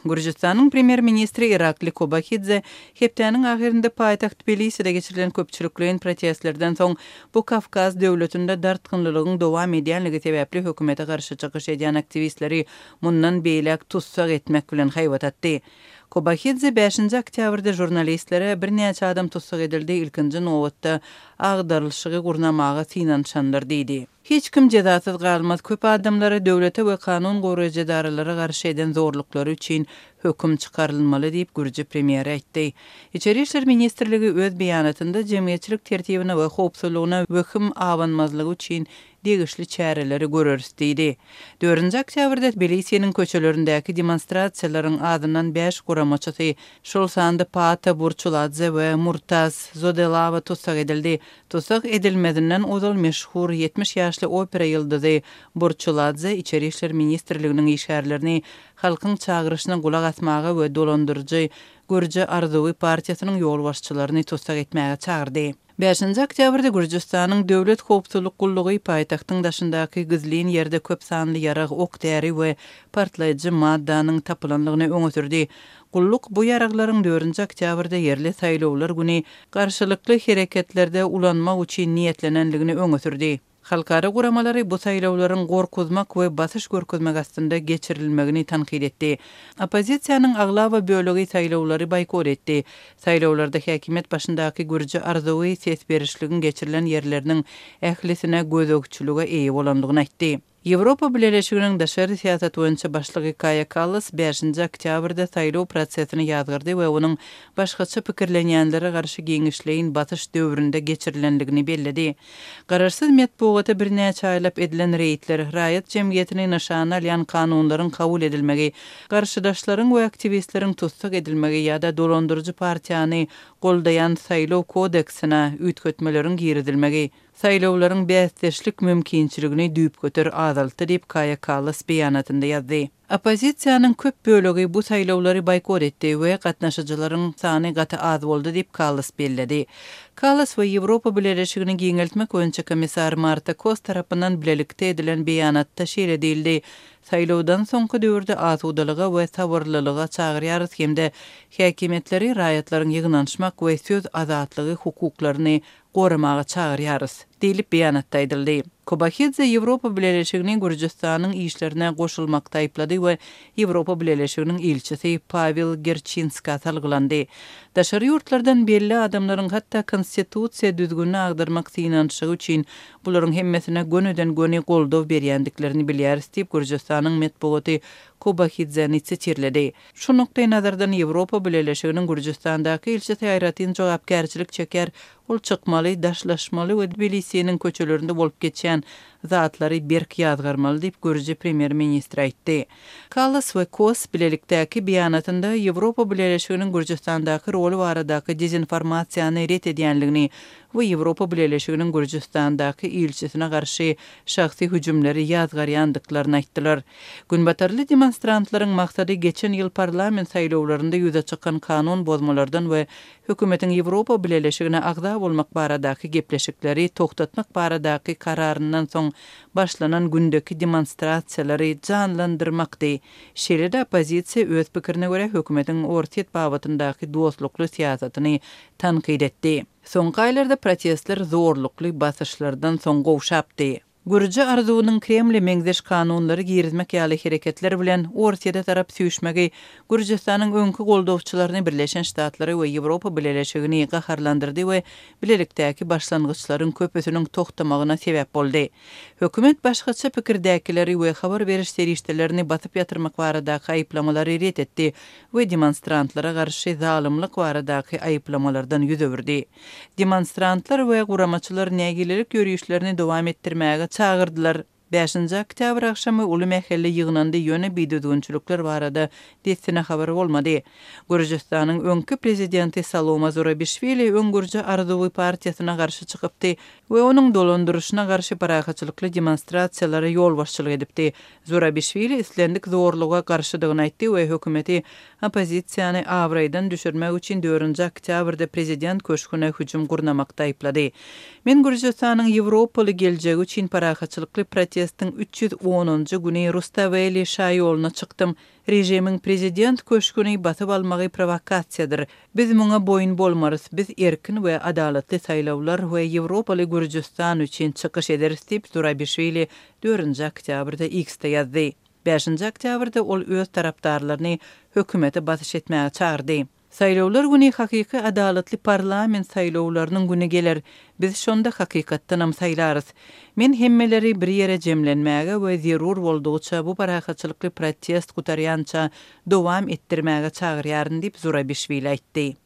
Gürjüstanyň premýer-ministri Irakli Kobahidze hepdäniň ahyrynda paýtagt Tbiliside geçirilen köpçülikleýin protestlerden soň bu Kawkaz döwletinde dartgynlylygyň dowam edýänligi sebäpli hökümete garşy çykyş edýän aktiwistleri mundan beýläk tussag etmek bilen haýbat atdy. Kobahidze bäşinji oktýabrda žurnalistlere birnäçe adam tussag edildi, ilkinji nobatda agdarylyşygy gurnamaga synanyşanlar diýdi. Hiç kim jezasyz galmaz, köp adamlara döwlete we kanun goraýjy edaralara garşy eden zorluklary üçin höküm çykarylmaly diýip, gürji premýeri aýtdy. Içeri işler ministrligi öz beýanatynda jemgyýetçilik tertibine we howpsuzlygyna wehim abanmazlygy üçin degişli çäreleri göreris diýdi. Dördünji oktýabrda Tbilisiniň köçelerindäki demonstrasiýalaryň azyndan bäş guramaçysy, şol sanda Paata Burçuladze we Murtaz Zodelawa tussag edildi. Tussag edilmezinden ozal meşhur 70 ýaşly opera ýyldyzy Burçuladze Içeri işler ministrliginiň işgärlerini halkyň çagyryşyna gulak asmaga we dolandyryjy Gürji arzuwy partiýasynyň ýolbaşçylaryny tussag etmäge çagyrdy. Bäşinji oktýabrda Gürjüstanyň Döwlet howpsuzlyk gullugy paýtagtyň daşyndaky gizlin ýerde köp sanly ýarag, ok-däri we partlaýjy maddanyň tapylandygyny öňe sürdi. Gulluk bu ýaraglaryň dördünji oktýabrda ýerli saýlawlar güni garşylykly hereketlerde ulanmak üçin niýetlenendigini öňe sürdi. Halkara guramalary bu saýlawlaryň gorkuzmak we basyş görkezmek astynda geçirilmegini tankyt etdi. Oppozisiýanyň aglaba bölegi saýlawlary boýkot etdi. Saýlawlarda häkimiýet başyndaky Gürji arzuwy ses berişligiň geçirilen ýerleriniň ählisine gözegçilige eýe bolandygyny aýtdy. Ýewropa Bileleşiginiň daşary syýasat boýunça başlygy Kaýa Kallas bäşinji oktýabrda saýlaw prosesini ýazgardy we onuň başgaça pikirlenýänlere garşy giňişleýin basyş döwründe geçirilendigini belledi. Garaşsyz metbugata birnäçe aýlap edilen reýdler, raýat jemgyýetini nyşana alýan kanunlaryň kabul edilmegi, garşydaşlaryň we aktiwistleriň tussag edilmegi ýa-da dolandyryjy partiýany goldaýan saýlaw kodeksine üýtgetmeleriň girizilmegi, saýlawlaryň bäsdeşlik mümkinçiligini düýpgöter azaltdy diýip, Kaýa Kallas beýanatynda ýazdy. Oppozisiýanyň köp bölegi bu saýlawlary boýkot etdi we gatnaşyjylaryň sany gaty az boldy diýip, Kallas belledi. Kallas we Ýewropa Bileleşigini giňeltmek boýunça komissar Marta Kos tarapyndan bilelikde edilen beýanatda şeýle diýildi, Saýlawdan soňky döwürde asudalyga we sabyrlylyga çagyrýarys hem-de häkimiýetleri raýatlaryň ýygnanyşmak we söz azatlygy hukuklaryny goramaga çagyrýarys, diýlip beýanatda aýdyldy. Kobahidze Ýewropa Bileleşigini Gürjüstanyň işlerine goşulmakda aýyplady we Ýewropa Bileleşiginiň ilçisi Pawel Gerçinskä salgylandy. Daşary ýurtlardan belli adamlaryň hatda konstitusiýa düzgünini agdarmak synanyşygy üçin bularyň hemmesine gönüden-göni goldaw berýändiklerini bilýäris diýip, Gürjüstanyň metbugaty Kobahidzeni sitirledi. Şu nukdaýnazardan Ýewropa Bileleşiginiň Gürjüstandaky ilçisi aýratyn jogapkärçilik çekýär, ol çykmaly, daşlaşmaly we Tbilisiniň köçelerinde bolup geçýän zatlary berk ýazgarmaly diýip, gürji premýer-ministri aýtdy. Kallas we Kos bilelikdäki beýanatynda Ýewropa Bileleşiginiň Gürjüstandaky roly baradaky dezinformasiýany ret edýänligini we Ýewropa Bileleşiginiň Gürjüstandaky ilçisine garşy şahsy hüjümleri ýazgarýandyklaryny aýtdylar. Günbatarly demonstrantlaryň maksady geçen ýyl parlament saýlawlarynda ýüze çykan kanun bozmalardan we hökümetiň Ýewropa Bileleşigine agza bolmak baradaky gepleşikleri togtatmak baradaky kararyndan soň başlanan gündeki demonstrasiýalary janlandyrmakdy. Şeýle-de oppozisiýa öz pikirine görä hökümetiň Orsýet babatyndaky dostlukly syýasatyny tankyt etdi. Soňky aýlarda protestler zorlukly basyşlardan soň gowşapdy. Gürji arzuwynyň Kremle meňzeş kanunlary girizmek ýaly hereketler bilen Orsýete tarap süýşmegi Gürjüstanyň öňki goldawçylaryny Birleşen Ştatlary we Ýewropa Bileleşigini gaharlandyrdy we bilelikdäki başlangyçlaryň köpüsiniň togtamagyna sebäp boldy. Hökümet başgaça pikirdäkileri we habar beriş serişdelerini basyp ýatyrmak baradaky aýyplamalary ret etdi we demonstrantlara garşy zalymlyk baradaky aýyplamalardan ýüz öwürdi. Demonstrantlar we guramaçylar nägilelik ýörişlerini dowam etdirmäge çagyrdylar. Bäşinji oktýabr agşamy uly mähelle ýygnandy, ýöne bidüzgünçilikler barada dessine habar bolmady. Gürjüstanyň öňki prezidenti Saloma Zurabişwili öň Gürji arzuwy partiýasyna garşy çykypdy we onuň dolandyryşyna garşy parahatçylykly demonstrasiýalara ýolbaşçylyk edipdi. Zurabişwili islendik zorluga garşydygyny aýtdy we hökümeti oppozisiýany abraýdan düşürmek üçin dördünji oktýabrda prezident köşgüne hüjüm gurnamakda aýyplady. Men Gürjüstanyň ýewropaly geljegi üçin parahatçylykly protest. protestiň 310-njy güni Rustaweli şaýoluna çykdym. Režimiň prezident köşgüni basyp almagy prowokasiýadyr. Biz muňa boýun bolmarys, biz erkin we adalatly saýlawlar we ýewropaly Gürjüstan üçin çykyş ederis diýip, Zurabişwili dördünji oktýabrda X-de ýazdy. Bäşinji oktýabrda ol öz tarapdarlaryny hökümete basyş etmäge çagyrdy. Saýlawlar güni hakyky adalatly parlament saýlawlarynyň güni geler. Biz şonda hakykatdanam saýlarys. Men hemmeleri bir ýere jemlenmäge we zerur boldugyça bu parahatçylykly protest gutarýança dowam etdirmäge çagyrýaryn diýip, Zurabişwili aýtdy.